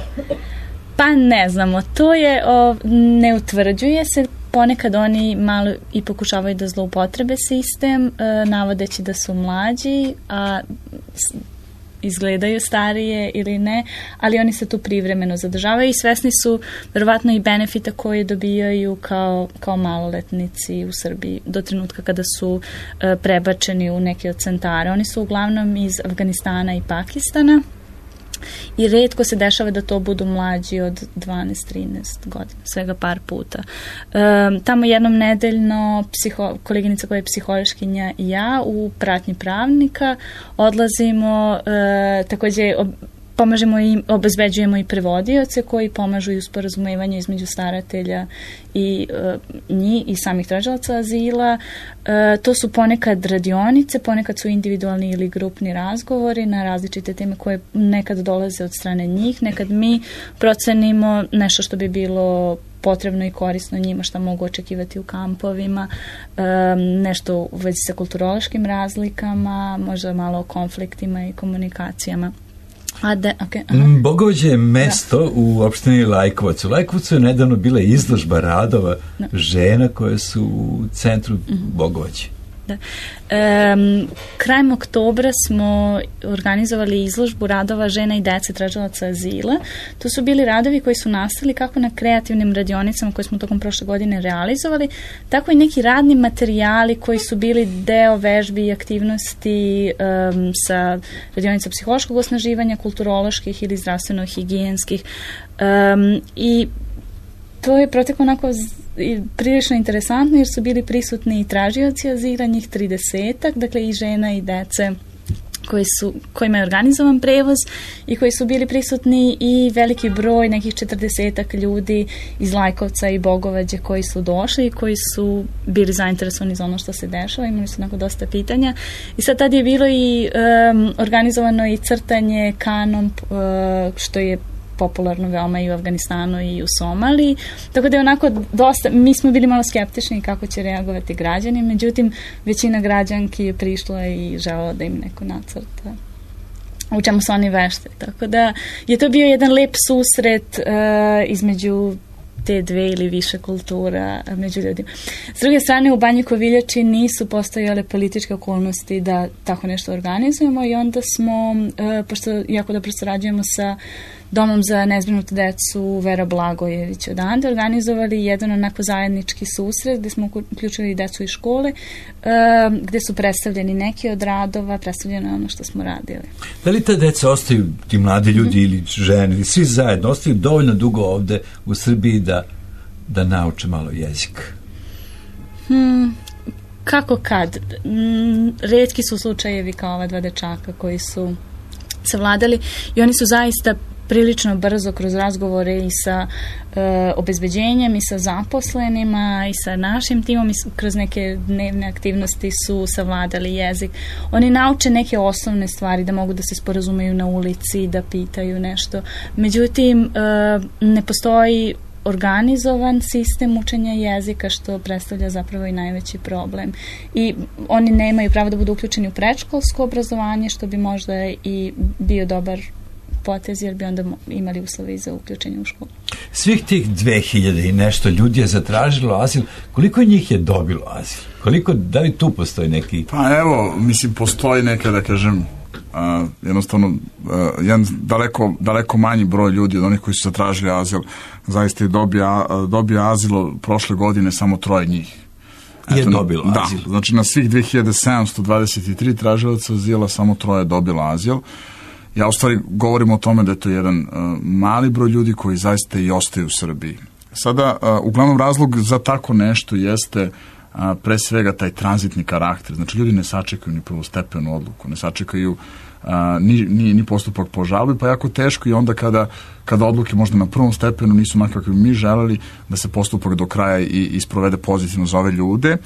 Pa ne znamo, to je, o, ne utvrđuje se, ponekad oni malo i pokušavaju da zloupotrebe sistem, e, navodeći da su mlađi, a s, izgledaju starije ili ne, ali oni se tu privremeno zadržavaju i svesni su verovatno i benefita koje dobijaju kao, kao maloletnici u Srbiji do trenutka kada su e, prebačeni u neke od centara. Oni su uglavnom iz Afganistana i Pakistana. I retko se dešava da to budu mlađi od dvanaest trinaest godina, svega par puta. E, tamo jednom nedeljno psiho, koleginica koja je psihološkinja i ja u pratnji pravnika odlazimo, e, takođe ob, pomažemo i obezbeđujemo i prevodioce koji pomažu i u sporazumevanju između staratelja i e, njih i samih tražilaca azila. E, to su ponekad radionice, ponekad su individualni ili grupni razgovori na različite teme koje nekad dolaze od strane njih, nekad mi procenimo nešto što bi bilo potrebno i korisno njima, šta mogu očekivati u kampovima, e, nešto u vezi sa kulturološkim razlikama, možda malo o konfliktima i komunikacijama. A de, okay, Bogovađe je mesto da. u opštini Lajkovac. U Lajkovcu je nedavno bila izložba radova da. žena koje su u centru mm-hmm. Bogovađe. Da. E, krajem oktobra smo organizovali izložbu radova žena i dece tražilaca azila. To su bili radovi koji su nastali kako na kreativnim radionicama koje smo tokom prošle godine realizovali, tako i neki radni materijali koji su bili deo vežbi i aktivnosti um, sa radionica psihološkog osnaživanja, kulturoloških ili zdravstveno-higijenskih. Um, I to je proteklo onako i prilično interesantno jer su bili prisutni i tražioci azila, njih tridesetak, dakle i žena i dece koji su, kojima je organizovan prevoz i koji su bili prisutni i veliki broj, nekih četrdesetak ljudi iz Lajkovca i Bogovađe koji su došli i koji su bili zainteresovani za ono što se dešava, imali su onako dosta pitanja. I sad tad je bilo i um, organizovano i crtanje kanom, uh, što je popularno veoma i u Afganistanu i u Somaliji, tako da je onako dosta, mi smo bili malo skeptični kako će reagovati građani, međutim većina građanki je prišla i želala da im neko nacrta u čemu su oni vešte, tako da je to bio jedan lep susret uh, između te dve ili više kultura među ljudima. S druge strane, u Banji Koviljači nisu postojale političke okolnosti da tako nešto organizujemo i onda smo, uh, pošto jako dobro sarađujemo sa Domom za nezbrinutu decu Vera Blagojević odande, organizovali jedan onako zajednički susret gde smo uključili decu iz škole, uh, gde su predstavljeni neki od radova, predstavljeno ono što smo radili. Da li ta deca ostaju, ti mladi ljudi mm-hmm. ili žene, ili svi zajedno, ostaju dovoljno dugo ovde u Srbiji da, da nauče malo jezik? Hmm, kako kad? Mm, retki su slučajevi kao ova dva dečaka koji su savladali i oni su zaista prilično brzo kroz razgovore i sa e, obezbeđenjem i sa zaposlenima i sa našim timom i kroz neke dnevne aktivnosti su savladali jezik. Oni nauče neke osnovne stvari da mogu da se sporazumeju na ulici, da pitaju nešto. Međutim, e, ne postoji organizovan sistem učenja jezika, što predstavlja zapravo i najveći problem. I oni nemaju pravo da budu uključeni u predškolsko obrazovanje, što bi možda i bio dobar potez, jer bi onda imali uslove za uključenje u školu. Svih tih dve hiljade i nešto ljudi je zatražilo azil. Koliko njih je dobilo azil? Koliko, da li tu postoji neki... Pa evo, mislim, postoji neka, da kažem, uh, jednostavno, uh, jedan daleko, daleko manji broj ljudi od onih koji su zatražili azil, zaista je dobija, uh, dobija azilo prošle godine samo troje njih. Je Eto, dobilo da, azil. Znači, na svih dve hiljade sedamsto dvadeset tri tražilaca azila samo troje dobilo azil. Ja u stvari govorim o tome da je to jedan uh, mali broj ljudi koji zaista i ostaju u Srbiji. Sada, uh, uglavnom razlog za tako nešto jeste uh, pre svega taj tranzitni karakter. Znači, ljudi ne sačekaju ni prvostepenu odluku, ne sačekaju uh, ni, ni, ni postupak po žalbi, pa jako teško i onda kada, kada odluke možda na prvom stepenu nisu onako kako bi mi želeli da se postupak do kraja i, i sprovede pozitivno za ove ljude.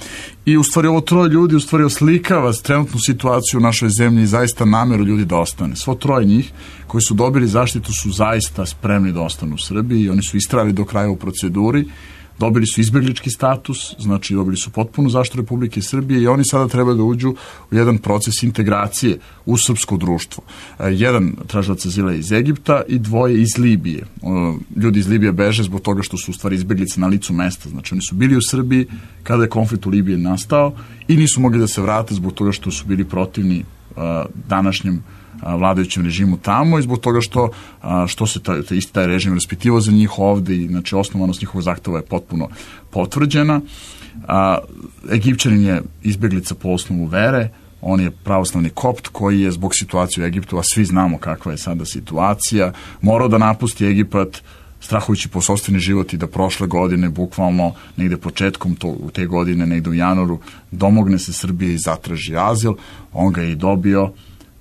I u stvari ovo troje ljudi u stvari oslikava trenutnu situaciju u našoj zemlji i zaista nameru ljudi da ostane. Svo troje njih koji su dobili zaštitu su zaista spremni da ostanu u Srbiji i oni su istrajali do kraja u proceduri. Dobili su izbeglički status, znači dobili su potpunu zaštitu Republike Srbije i oni sada treba da uđu u jedan proces integracije u srpsko društvo. Jedan tražilac azila iz Egipta i dvoje iz Libije. Ljudi iz Libije beže zbog toga što su u stvari izbeglice na licu mesta. Znači oni su bili u Srbiji kada je konflikt u Libiji nastao i nisu mogli da se vrate zbog toga što su bili protivni današnjem vladajućem režimu tamo i zbog toga što, što se taj, taj isti taj režim raspitivao za njih ovde i znači osnovanost njihovog zahteva je potpuno potvrđena. A, Egipćanin je izbeglica po osnovu vere, on je pravoslavni kopt koji je zbog situacije u Egiptu, a svi znamo kakva je sada situacija, morao da napusti Egipat strahujući po sopstveni život i da prošle godine, bukvalno negde početkom to, te godine, negde u januaru, domogne se Srbije i zatraži azil, on ga je i dobio,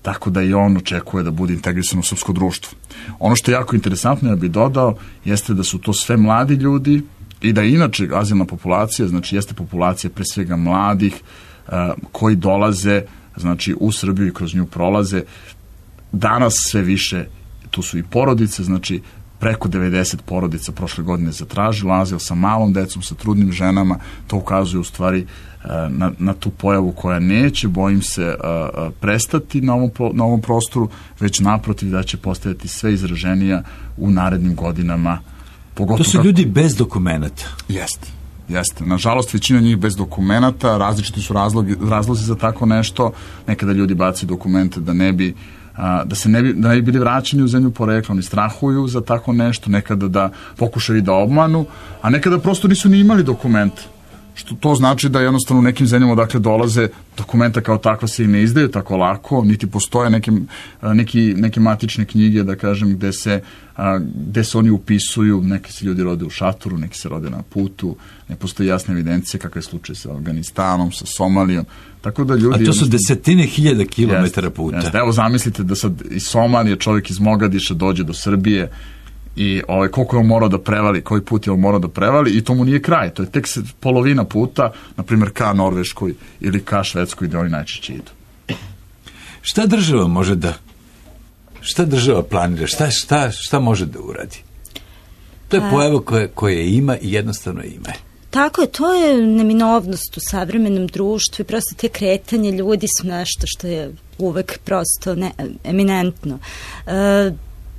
tako da i on očekuje da bude integrisan u srpsko društvo. Ono što je jako interesantno, ja bih dodao, jeste da su to sve mladi ljudi i da inače azilna populacija, znači jeste populacija pre svega mladih uh, koji dolaze, znači u Srbiju i kroz nju prolaze. Danas sve više, tu su i porodice, znači preko devedeset porodica prošle godine zatražilo azil sa malom decom, sa trudnim ženama, to ukazuje u stvari na, na tu pojavu koja neće, bojim se, prestati na ovom, na ovom prostoru, već naprotiv da će postajati sve izraženija u narednim godinama. To su kako... ljudi bez dokumenta. Jeste. Jeste. Nažalost, većina njih bez dokumenta, različiti su razlogi, razlozi za tako nešto. Nekada ljudi bacaju dokumente da ne bi da se ne bi, da ne bi bili vraćeni u zemlju porekla, oni strahuju za tako nešto, nekada da pokušaju da obmanu, a nekada prosto nisu ni imali dokumente, što to znači da jednostavno u nekim zemljama odakle dolaze dokumenta kao takva se i ne izdaju tako lako, niti postoje neke, neki, neke matične knjige, da kažem, gde se, gde se oni upisuju, neki se ljudi rode u šatoru, neki se rode na putu, ne postoji jasna evidencija kakav je slučaj sa Afganistanom, sa Somalijom, tako da ljudi... A to su desetine hiljada kilometara puta. Jeste, evo zamislite da sad iz Somalije čovjek iz Mogadiša dođe do Srbije i ovaj, koliko je on morao da prevali, koji put je on morao da prevali i to mu nije kraj, to je tek polovina puta, na primjer ka Norveškoj ili ka Švedskoj gde oni najčešće idu. Šta država može da, šta država planira, šta, šta, šta može da uradi? To je pojava koje, koje ima i jednostavno ima. Tako je, to je neminovnost u savremenom društvu i prosto te kretanje ljudi su nešto što je uvek prosto ne, eminentno. E,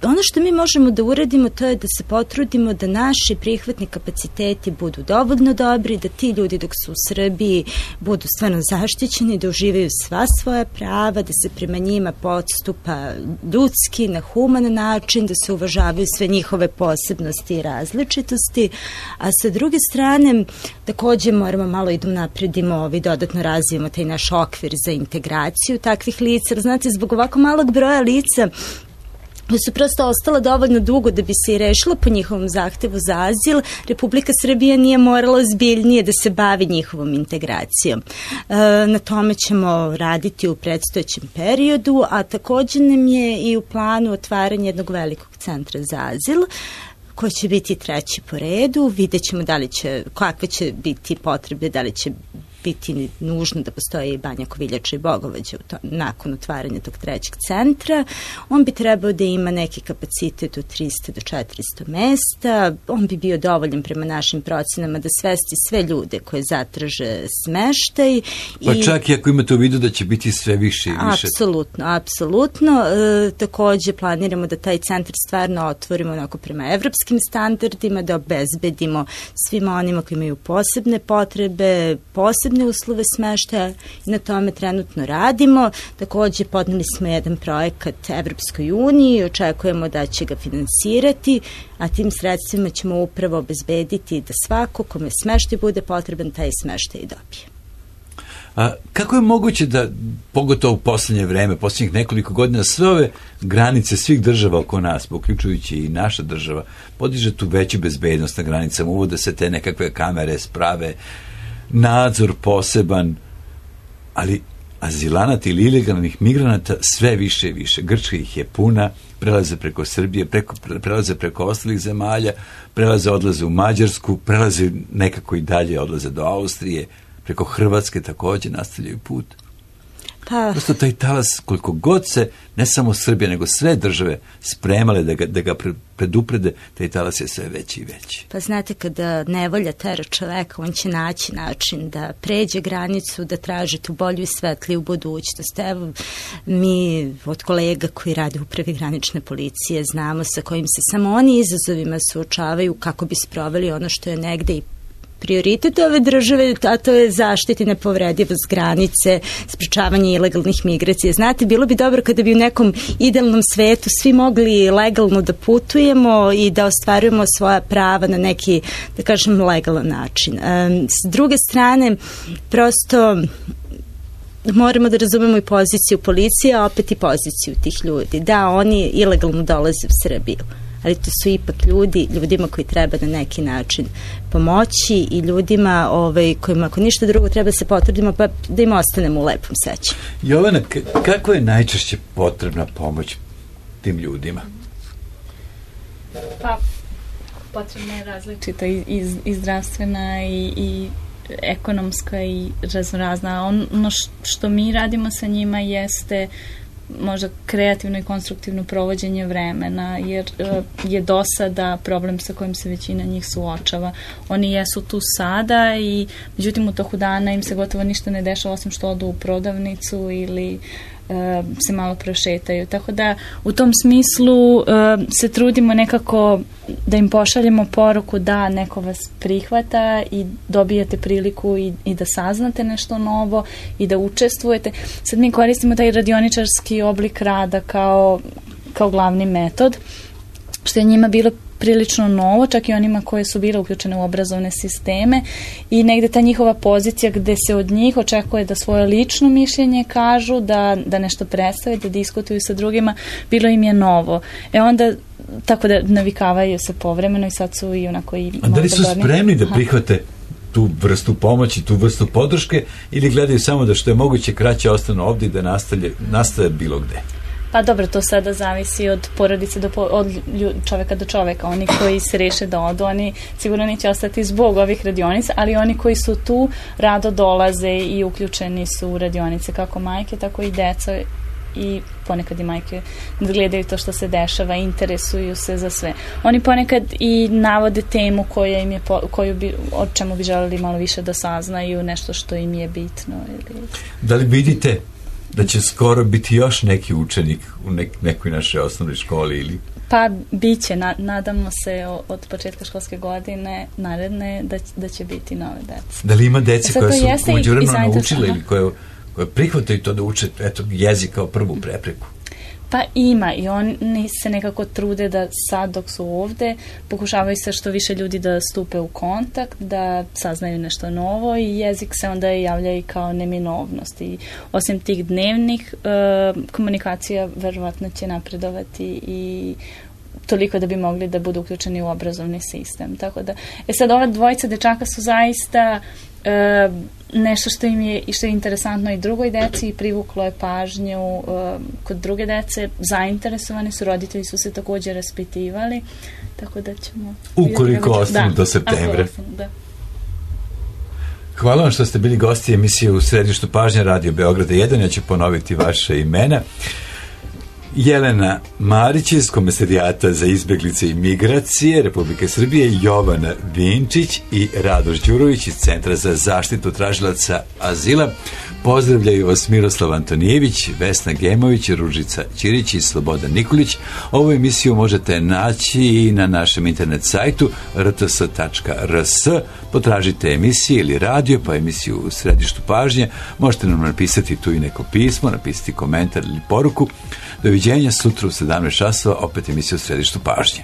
Ono što mi možemo da uradimo to je da se potrudimo da naši prihvatni kapaciteti budu dovoljno dobri, da ti ljudi dok su u Srbiji budu stvarno zaštićeni, da uživaju sva svoja prava, da se prema njima postupa ljudski, na human način, da se uvažavaju sve njihove posebnosti i različitosti, a sa druge strane takođe moramo malo i da napredimo i dodatno razvijemo taj naš okvir za integraciju takvih lica. Znate, zbog ovako malog broja lica da su prosto ostala dovoljno dugo da bi se i rešila po njihovom zahtevu za azil, Republika Srbija nije morala zbiljnije da se bavi njihovom integracijom. E, na tome ćemo raditi u predstojećem periodu, a takođe nam je i u planu otvaranje jednog velikog centra za azil, koji će biti treći po redu. Vidjet ćemo da li će, kakve će biti potrebe, da li će biti nužno da postoji i Banja Koviljača i Bogovađa nakon otvaranja tog trećeg centra. On bi trebao da ima neki kapacitet od trista do četiristo mesta. On bi bio dovoljan prema našim procenama da svesti sve ljude koje zatraže smeštaj. Pa i čak i ako imate u vidu da će biti sve više i više. Apsolutno, apsolutno. E, takođe planiramo da taj centar stvarno otvorimo onako prema evropskim standardima, da obezbedimo svima onima koji imaju posebne potrebe, posebne uslove smeštaja i na tome trenutno radimo. Takođe podneli smo jedan projekat Evropskoj uniji i očekujemo da će ga finansirati, a tim sredstvima ćemo upravo obezbediti da svako kome smeštaj bude potreban, taj smeštaj i dobije. A kako je moguće da, pogotovo u poslednje vreme, poslednjih nekoliko godina, sve ove granice svih država oko nas, uključujući i naša država, podiže tu veću bezbednost na granicama, uvode se te nekakve kamere, sprave, nadzor poseban, ali azilanata ili ilegalnih migranata sve više i više. Grčka ih je puna, prelaze preko Srbije, preko, prelaze preko ostalih zemalja, prelaze, odlaze u Mađarsku, prelaze nekako i dalje, odlaze do Austrije, preko Hrvatske takođe nastavljaju put. Pa, prosto taj talas, koliko god se, ne samo Srbija, nego sve države spremale da ga, da ga preduprede, taj talas je sve veći i veći. Pa znate, kada nevolja tera čoveka, on će naći način da pređe granicu, da traži tu bolju i svetliju budućnost. Evo, mi od kolega koji rade u upravi granične policije znamo sa kojim se samo oni izazovima suočavaju kako bi sproveli ono što je negde i prioritet ove države, a to je zaštiti nepovredivost granice, sprečavanje ilegalnih migracija. Znate, bilo bi dobro kada bi u nekom idealnom svetu svi mogli legalno da putujemo i da ostvarujemo svoja prava na neki, da kažem, legalan način. S druge strane, prosto moramo da razumemo i poziciju policije, a opet i poziciju tih ljudi. Da, oni ilegalno dolaze u Srbiju, ali to su ipak ljudi, ljudima koji treba na neki način pomoći i ljudima ovaj, kojima ako ništa drugo treba se potrudimo pa da im ostanemo u lepom sećanju. Jovana, kako je najčešće potrebna pomoć tim ljudima? Pa, potrebna je različita i, i, i zdravstvena i, i ekonomska i raznorazna. Ono što mi radimo sa njima jeste možda kreativno i konstruktivno provođenje vremena, jer je do sada problem sa kojim se većina njih suočava. Oni jesu tu sada i međutim u toku dana im se gotovo ništa ne dešava osim što odu u prodavnicu ili se malo prošetaju. Tako da u tom smislu se trudimo nekako da im pošaljemo poruku da neko vas prihvata i dobijate priliku i, i da saznate nešto novo i da učestvujete. Sad mi koristimo taj radioničarski oblik rada kao, kao glavni metod. što je njima bilo prilično novo, čak i onima koje su bile uključene u obrazovne sisteme i negde ta njihova pozicija gde se od njih očekuje da svoje lično mišljenje kažu, da, da nešto predstave, da diskutuju sa drugima, bilo im je novo. E onda, tako da navikavaju se povremeno i sad su i onako i... A da li su spremni da prihvate tu vrstu pomoći, tu vrstu podrške ili gledaju samo da što je moguće kraće ostanu ovdje i da nastave, nastave bilo gde? Pa dobro, to sada zavisi od porodice do po, od čoveka do čoveka. Oni koji se reše da odu, oni sigurno neće ostati zbog ovih radionica, ali oni koji su tu rado dolaze i uključeni su u radionice, kako majke, tako i deca i ponekad i majke gledaju to što se dešava, interesuju se za sve. Oni ponekad i navode temu koja im je, koju bi, o čemu bi želeli malo više da saznaju, nešto što im je bitno. Ili... Da li vidite da će skoro biti još neki učenik u nek, nekoj našoj osnovnoj školi ili... Pa bit će, na, nadamo se od početka školske godine naredne da, da će biti nove dece. Da li ima dece koje su uđurano naučile ili koje, koje prihvataju to da uče eto, jezik kao prvu prepreku? Pa ima i oni se nekako trude da sad dok su ovde pokušavaju se što više ljudi da stupe u kontakt, da saznaju nešto novo i jezik se onda javlja i kao neminovnost i osim tih dnevnih e, komunikacija verovatno će napredovati i toliko da bi mogli da budu uključeni u obrazovni sistem. Tako da, e sad ova dvojica dečaka su zaista e, nešto što im je i što je interesantno i drugoj deci i privuklo je pažnju uh, kod druge dece, zainteresovani su, roditelji su se također raspitivali, tako da ćemo... Ukoliko ostanu da, do septembra. Ostanu, da. Hvala vam što ste bili gosti emisije u središtu pažnje Radio Beograda jedan, ja ću ponoviti vaše imena. Jelena Marić iz Komesarijata za izbeglice i migracije Republike Srbije, Jovana Vinčić i Radoš Đurović iz Centra za zaštitu tražilaca azila. Pozdravljaju vas Miroslav Antonijević, Vesna Gemović, Ružica Ćirić i Slobodan Nikolić. Ovu emisiju možete naći i na našem internet sajtu r t s tačka r s. Potražite emisije ili radio, pa emisiju u središtu pažnje. Možete nam napisati tu i neko pismo, napisati komentar ili poruku. Doviđenja sutra u sedamnaest časova, opet emisija u središtu pažnje.